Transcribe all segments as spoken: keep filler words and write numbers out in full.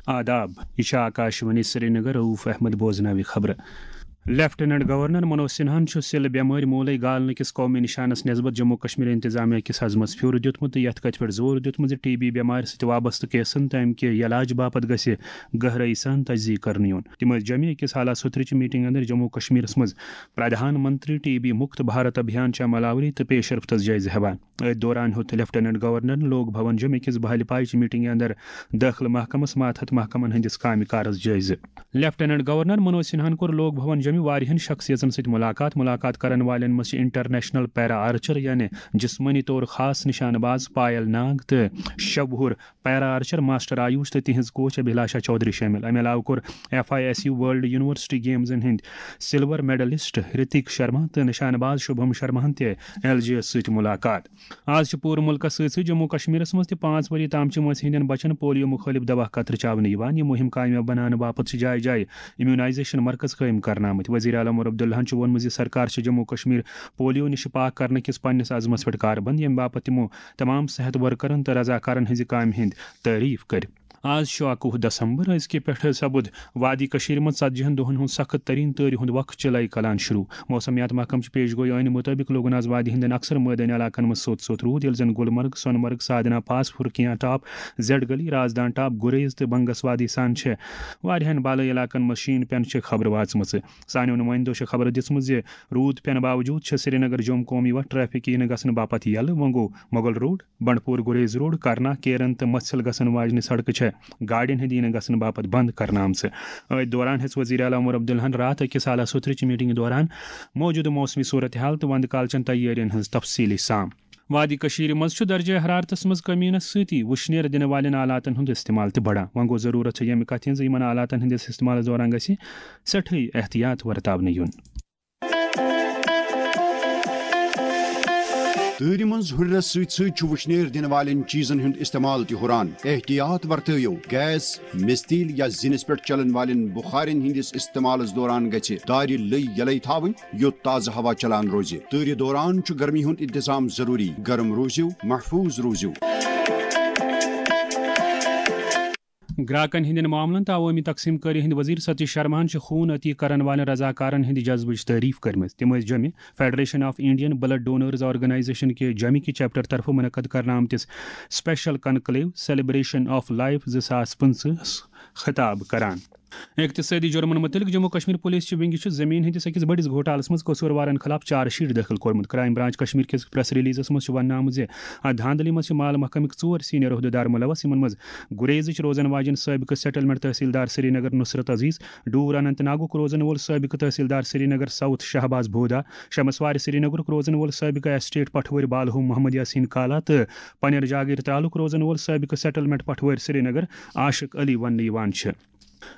آداب، یہِ چھِ آکاشوانی سرینگر، رؤف احمد بوزناوِ خبرٕ۔ لیفٹیننٹ گورنر منوج سنہاہن چھُ سِل بٮ۪مٲرۍ موٗلے گالنہٕ کِس قومی نشانس نسبت جموں کشمیر انتظامیہ کِس عزمس پھیُر دیُتمُت تہٕ یتھ کتھِ پٮ۪ٹھ زور دیُتمُت زِ ٹی بی بٮ۪مارِ سۭتۍ وابستہٕ کیسن تہٕ امہِ کہِ علاج باپتھ گژھِ گہرٲیی سان تجزیہ کرنہٕ یُن۔ تِم ٲسۍ جمعہ أکِس حالات سترٕچہِ میٹنگ اندر جموں کشمیرس منٛز پردھان منتری ٹی بی مُکت بھارت ابھیان چہِ عمل آوری تہٕ پیش رفتس جٲیزٕ ہٮ۪وان۔ أتھۍ دوران ہیوٚت لیفٹیننٹ گورنرن لوک بھون جمعہ کِس بہلہِ پایچہِ میٹنگہِ اندر دٲخلہٕ محکمس ماتحت محکمن ہٕنٛدِس کامہِ کارس جٲیزٕ۔ لیفٹیننٹ گورنر منوج سنہاہن کوٚر لوک بھون جمعہ واریاہن شخصیژن سۭتۍ ملاقات۔ ملاقات کرن والٮ۪ن منٛز چھِ انٹرنیشنل پیرا آرچر یعنی جسمٲنی طور خاص نشانہٕ باز پایل ناگ تہٕ شوہُر پیرا آرچر ماسٹر آیوش تہٕ تِہنٛز کوچ ابھلاشا چودھری شٲمِل۔ امہِ علاوٕ کوٚر F I S U world university گیمزن ہٕنٛدۍ سلور میڈلسٹ رتیک شرما تہٕ نشانہٕ باز شبھم شرماہن تہِ ایل جے یس سۭتۍ ملاقات۔ آز چھِ پوٗرٕ مُلکَس سۭتۍ سۭتۍ جموں کشمیرَس منٛز تہِ پانٛژھ ؤری تام چھِ وٲنٛسہِ ہٕنٛدٮ۪ن بَچَن پولیو مُخٲلِف دَوا قطرٕ چاونہٕ یِوان۔ یہِ مُہِم کامیاب بناونہٕ باپتھ چھِ جایہِ جایہِ امیونائزیشن مرکز قٲیِم کرنہٕ آمٕتۍ۔ وزیر اعلیٰ عمر عبداللہَن چھُ ووٚنمُت زِ سرکار چھِ جموں کشمیر پولیو نِشہِ پاک کرنہٕ کِس پننِس عزمَس پٮ۪ٹھ کاربند، ییٚمہِ باپتھ تِمو تمام صحت ورکرَن تہٕ رضاکارَن ہٕنٛزِ کامہِ ہٕنٛدۍ تعریف کٔرۍ۔ آز چھُ اَکوُہ دسمبر، أزکہِ پٮ۪ٹھٕ سپُد وادی کٔشیٖرِ منٛز ژتجی ہن دۄہن ہُنٛد سخت ترین تۭرِ ہُنٛد وقت چِلے کلان شروع۔ موسمیات محکمہٕ چہِ پیش گویی عٲنہِ مُطٲبِق لوٚگ نہٕ آز وادی ہٕنٛدٮ۪ن اکثر مٲدٲنی علاقن منٛز سوٚت سوٚت روٗد، ییٚلہِ زن گلمرگ، سۄنہٕ مرگ، سادنا پاس، پھُرکیاں ٹاپ، زیڈ گلی، رازدان ٹاپ، گُریز تہٕ بنگس وادی سان چھِ واریاہن بالٲیی علاقن منٛز شیٖن پٮ۪نہٕ چھِ خبرٕ واژمٕژٕ۔ سانیو نُمٲیندو چھِ خبر دِژمٕژ زِ روٗد پٮ۪نہٕ باوجوٗد چھِ سرینگر جوم قومی وتھ ٹریفک یِنہٕ گژھنہٕ باپتھ یلہٕ۔ وۄنۍ گوٚو مغل روڈ، بنڈپور گریز روڈ، کرنا، کیرن تہٕ مژھل گژھن واجنہِ سڑکہٕ چھےٚ گاڑٮ۪ن ہٕنٛدِ یِنہٕ گژھنہٕ باپتھ بند کرنہٕ آمژٕ۔ أتھۍ دوران ہیٚژ وزیر اعلیٰ عمر عبداللہن راتھ أکِس اعلیٰ سطرٕچہِ میٹنگہِ دوران موجودٕ موسمی صورتحال تہٕ وندٕ کالچٮ۪ن تیٲرین ہٕنٛز تفصیٖلی سام۔ وادی کٔشیٖرِ منٛز چھُ درجہ حرارتس منٛز کمی یِنس سۭتی وُشنیر دِنہٕ والٮ۪ن آلاتن ہُنٛد استعمال تہِ بڑان۔ وۄنۍ گوٚو ضروٗرت چھےٚ ییٚمہِ کتھِ ہٕنٛز زِ یِمن آلاتن ہٕنٛدِس استعمالس دوران گژھِ سٮ۪ٹھٕے احتیاط ورتاونہٕ یُن۔ تۭرِ منٛز ہُرٮ۪رس سۭتۍ سۭتۍ چھُ وُشنیر دِنہٕ والٮ۪ن چیٖزن ہُنٛد استعمال تہِ ہُران۔ احتیاط ورتٲیِو، گیس، مِستیٖل یا زِنِس پٮ۪ٹھ چلن والٮ۪ن بُخارٮ۪ن ہٕنٛدِس استعمالس دوران گژھِ دارِ لٔۍ یلے تھاوٕنۍ، یوٚت تازٕ ہوا چلان روزِ۔ تۭرِ دوران چھُ گرمی ہُنٛد انتظام ضروٗری، گرم روٗزِو، محفوٗظ روٗزِو۔ گراکن ہٕنٛدٮ۪ن معاملن تہٕ عوٲمی تقسیٖم کٲری ہٕنٛدۍ وزیر ستیش شرماہن چھِ خوٗن عطیہ کرن والٮ۪ن رضاکارن ہٕنٛدِ جذبٕچ تعریف کٔرمٕژ۔ تِم ٲسۍ جوٚمہِ federation of Indian blood donors organisation کہِ جوٚمہِ کہِ چیپٹر طرفہٕ منعقد کرنہٕ آمتِس special conclave celebration of life زٕ ساس پٕنٛژٕہس خطاب کران۔ اقتصٲدی جُرمن مُتعلق جموں کشمیر پُلیٖس چہِ ونگہِ چھُ زٔمیٖن ہٕنٛدِس أکِس بٔڑِس گھوٹالس منٛز قصوٗروارن خلاف چارج شیٹ دٲخل کوٚرمُت۔ کرائم برانچ کشمیر کِس پریس ریلیزس منٛز چھُ وننہٕ آمُت زِ اتھ دھاندلی منٛز چھِ مال محکمٕکۍ ژور سینئر عہدیدار ملوث، یِمن منٛز گریزٕچ روزن واجٮ۪ن سٲبقہٕ سیٹلمنٹ تحصیلدار سرینگر نصرت عزیز، ڈور اننت ناگُک روزن وول سٲبقہٕ تحصیلدار سرینگر ساؤتھ شہباز بھودا، شمسوارِ سرینگرُک روزن وول سٲبقہٕ ایسٹیٹ پٹھوٲرۍ بالہو محمد یاسین کالا تہٕ پنیر جاگیر ترالُک روزن وول سٲبقہٕ سیٹلمنٹ پٹھوٲرۍ سرینگر عاشق علی وننہٕ یِوان چھِ۔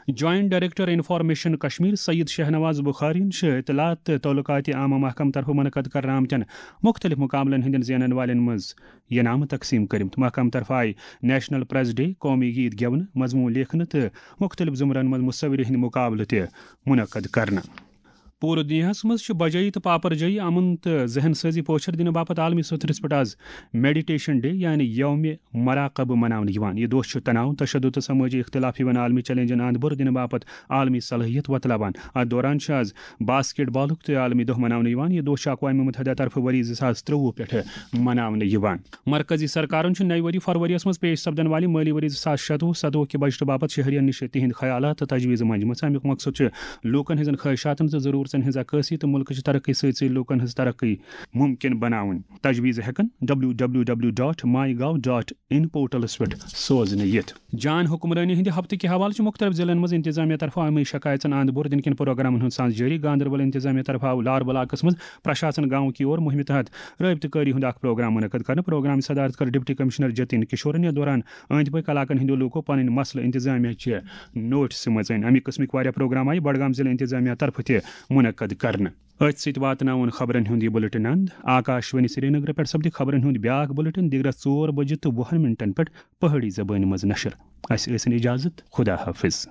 Joint director information Kashmir Syed Shahnawaz بخارین چھِ اطلاعات تہٕ تعلقات عامہ محکمہٕ طرفہٕ منعقد کرنہٕ آمتٮ۪ن مُختٔلِف مُقابلن ہٕنٛدٮ۪ن زینن والٮ۪ن منٛز انعامہٕ تقسیٖم کٔرمٕتۍ۔ محکمہٕ طرفہٕ آیہِ نیشنل پریس ڈے، قومی گیت گٮ۪ونہٕ، مضموٗن لیکھنہٕ تہٕ مُختٔلِف زمرن منٛز مصوری ہٕنٛدۍ مُقابلہٕ تہِ منعقد کرنہٕ۔ پوٗرٕ دُنیاہَس منٛز چھُ بجٲیی تہٕ پاپر جٲیی، امن تہٕ ذہن سٲزی پوچھر دِنہٕ باپتھ عالمی سطحس پٮ۪ٹھ آز میڈیٹیشن ڈے یعنی یوم مراقبہ مناونہٕ یِوان۔ یہِ دۄہ چھُ تناؤ، تشدد تہٕ سمٲجی اختلاف ہِوٮ۪ن عالمی چیلنجن اند بُر دِنہٕ باپتھ عالمی صلٲحیت وۄتلاوان۔ اتھ دوران چھُ آز باسکٹ بالُک تہِ عالمی دۄہ مناونہٕ یِوان۔ یہِ دۄہ چھُ اقوام متحدہ طرفہٕ ؤری زٕ ساس ترٛۆوُہ پٮ۪ٹھٕ مناونہٕ یِوان۔ مرکزی سرکارن چھُ نَیہِ ؤری فروری یَس منٛز پیش سپدن والہِ مٲلی ؤری زٕ ساس شَتوُہ ستوُہ کہِ بجٹہٕ باپتھ شہرین نِش تِہنٛدۍ خیالات تہٕ تجویٖزٕ منجمژٕ۔ اَمیُک مقصد چھُ لوٗکن ہٕنٛزن خٲہِشاتن تہٕ ضروٗرتن ہٕنٛز عکٲسی تہٕ مُلکٕچ ترقی سۭتۍ سۭتۍ لوٗکن ہٕنٛز ترقی مُمکِن بناوٕنۍ۔ تجویٖز ہٮ۪کن ڈبلیو ڈبلیو ڈبلیو ڈاٹ ماے گاو ڈاٹ ان پورٹلس پٮ۪ٹھ سوزنہٕ یِتھ۔ جان حکمرٲنی ہٕنٛدِ ہفتہٕ کہِ حوالہٕ چھِ مُختٔلِف ضلعن منٛز انتظامیہ طرفہٕ عٲمی شکایژن اند بور دِنہٕ کٮ۪ن پروگرامن ہُنٛد سانز جٲری۔ گاندربل انتظامیہ طرفہٕ آو لاربلاکس منٛز پرشاسن گامہٕ کی اور مُہِمہِ تحت رٲبطہٕ کٲری ہُنٛد اکھ پروگرام منعقد کرنہٕ۔ پروگرامٕچ صدارت کٔر ڈپٹی کمشنر جتن کشورن۔ یتھ دوران أنٛدۍ پٔکۍ علاقن ہٕنٛدیو لوٗکو پنٕنۍ مسلہٕ انتظامیہ چہِ نوٹسہِ منٛز أنۍ۔ اَمی قٕسمٕکۍ واریاہ پروگرام آیہِ بڈگام ضلع انتظامیہ طرفہٕ تہِ منعقد کرنہٕ۔ أتھۍ سۭتۍ واتناوون خبرن ہُنٛد یہِ بُلٹن اند۔ آکاش وانی سرینگر پٮ۪ٹھ سپدِ خبرن ہُنٛد بیاکھ بُلٹن دِگرس ژور بجہِ تہٕ وُہن منٹن پٮ۪ٹھ پہٲڑی زبٲنۍ منٛز نشر۔ اسہِ ٲسِن اجازت، خدا حافظ۔